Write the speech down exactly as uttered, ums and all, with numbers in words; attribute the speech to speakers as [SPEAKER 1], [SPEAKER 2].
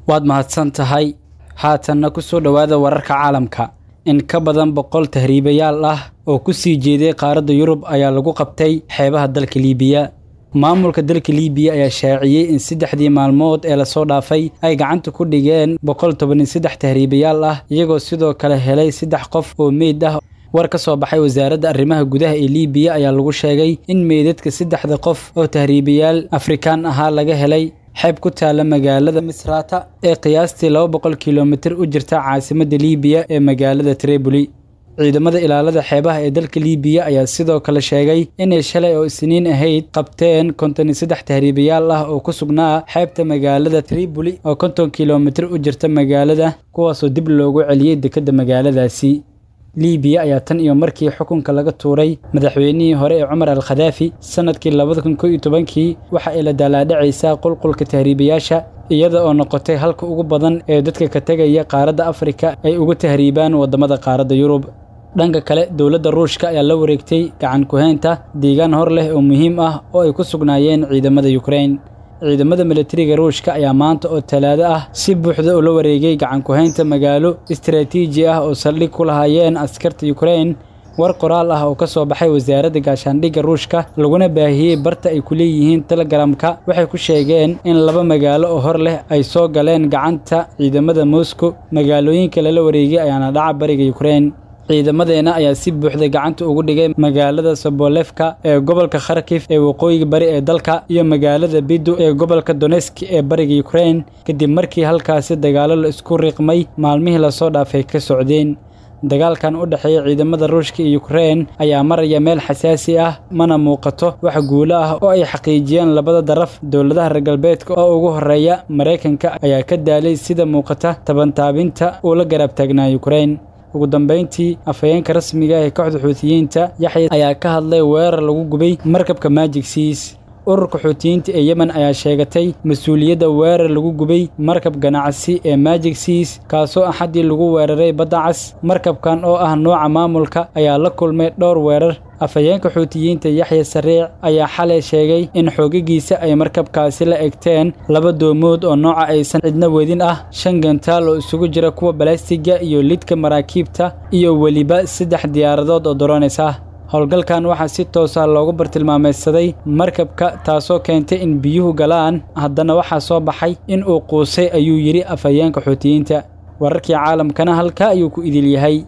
[SPEAKER 1] Waad mahadsan tahay. Haatanna ku soo dhowaada wararka caalamka. In ka badan boqol tahriibayaal ah oo ku sii jeeday qaaradda Yurub ayaa lagu qabtay xeebaha dalka Liibiya. Maamulka dalka Liibiya ayaa shaaciyey in saddexdii maalmood ee lasoo dhaafay ay gacanta ku dhigeen boqol toban iyo saddex tahriibayaal ah, iyagoo sidoo kale helay saddex qof oo meyd ah. War ka soo baxay wasaaradda arrimaha gudaha ee Liibiya ayaa lagu sheegay in meydadka saddexda qof oo tahriibayaal Afrikaan ahaa laga helay xeeb ku taala magaalada Misrata ee qiyaastii laba boqol kilomitir u jirta caasimadda Liibiya ee magaalada Tripoli. Ciidamada ilaalada xeebaha ee dalka Liibiya ayaa sidoo kale sheegay inay shalay oo Isniin ahayd qabteen konton iyo saddex tahriibayaal ah oo ku sugnaa xeebta magaalada Tripoli oo konton kilomitir u jirta magaalada, kuwaasoo dib loogu celiyey dekedda magaaladaasi. Liibiya ayaa tan iyo markii xukunka laga tuuray madaxweynihii hore ee Cumar al-Khadaafi sanadkii labada kun kow iyo tobankii waxa ay la daalaadhacaysaa qulqulka tahriibayaasha, iyada oo noqotay halka ugu badan ee dadka ka tegaya qaaradda Afrika ay ugu tahriibaan waddamada qaaradda Yurub. Dhanka kale, dowladda Ruushka ayaa la wareegtay gacan ku-haynta deegaan hor leh oo muhiim ah oo ay ku sugnaayeen ciidamada Ukraine. Ciidamada militariga Ruushka ayaa maanta oo Talaado ah si buuxda ula wareegay gacan ku-haynta magaalo istiraatiiji ah oo saldhig ku lahaayeen askarta Ukraine. War qoraal ah oo ka soo baxay wasaaradda gaashaandhigga Ruushka laguna baahiyey barta ay ku leeyihiin Telegramka waxay ku sheegeen in laba magaalo oo hor leh ay soo galeen gacanta ciidamada Moscow. Magaalooyinka lala wareegay ayaana dhaca bariga Ukraine. Ciidamadeena ayaa si buuxda gacanta ugu dhigay magaalada Sobolevka ee gobolka Kharkiv ee waqooyiga bari ee dalka iyo magaalada Bidu ee gobolka Donetsk ee bariga Ukraine, kadib markii halkaasi dagaallo la isku riiqmay maalmihii lasoo dhaafay ka socdeen. Dagaalkan u dhexeeya ciidamada Ruushka iyo Ukraine ayaa maraya meel xasaasi ah, mana muuqato wax guulo ah oo ay xaqiijiyeen labada daraf. Dowladaha reer galbeedka oo ugu horeeya Mareykanka ayaa ka daalay sida muuqata tabantaabinta uu la garab taagnaa Ukraine. Ugu dambeyntii, afhayeenka rasmiga ah ee kooxda Xuutiyiinta Yaxya ayaa ka hadlay weerar lagu gubay markabka Magic Seas. Ururka Xuutiyiinta ee Yemen ayaa sheegatay mas'uuliyadda weerar lagu gubay markab ganacsi ee Magic Seas, kaasoo Axadii lagu weeraray badda cas. Markabkan oo ah nooca maamulka ayaa la kulmay dhowr weerar. Afhayeenka Xuutiyiinta Yaxya Sariic ayaa xalay sheegay in xoogagiisa ay markabkaasi la egteen laba doomood oo nooca aysan cidna wedin ah, shan gantaal oo isugu jira kuwa balaastiga iyo lidka maraakiibta, iyo weliba saddex diyaaradood oo drones ah. Howlgalkan waxaa si toos ah loogu bartilmaameedsaday markabka, taasoo keentay in biyuhu galaan, haddana waxaa soo baxay in uu quusay, ayuu yidhi afhayeenka Xuutiyiinta. Wararkii caalamkana halkaa ayuu ku idil yahay.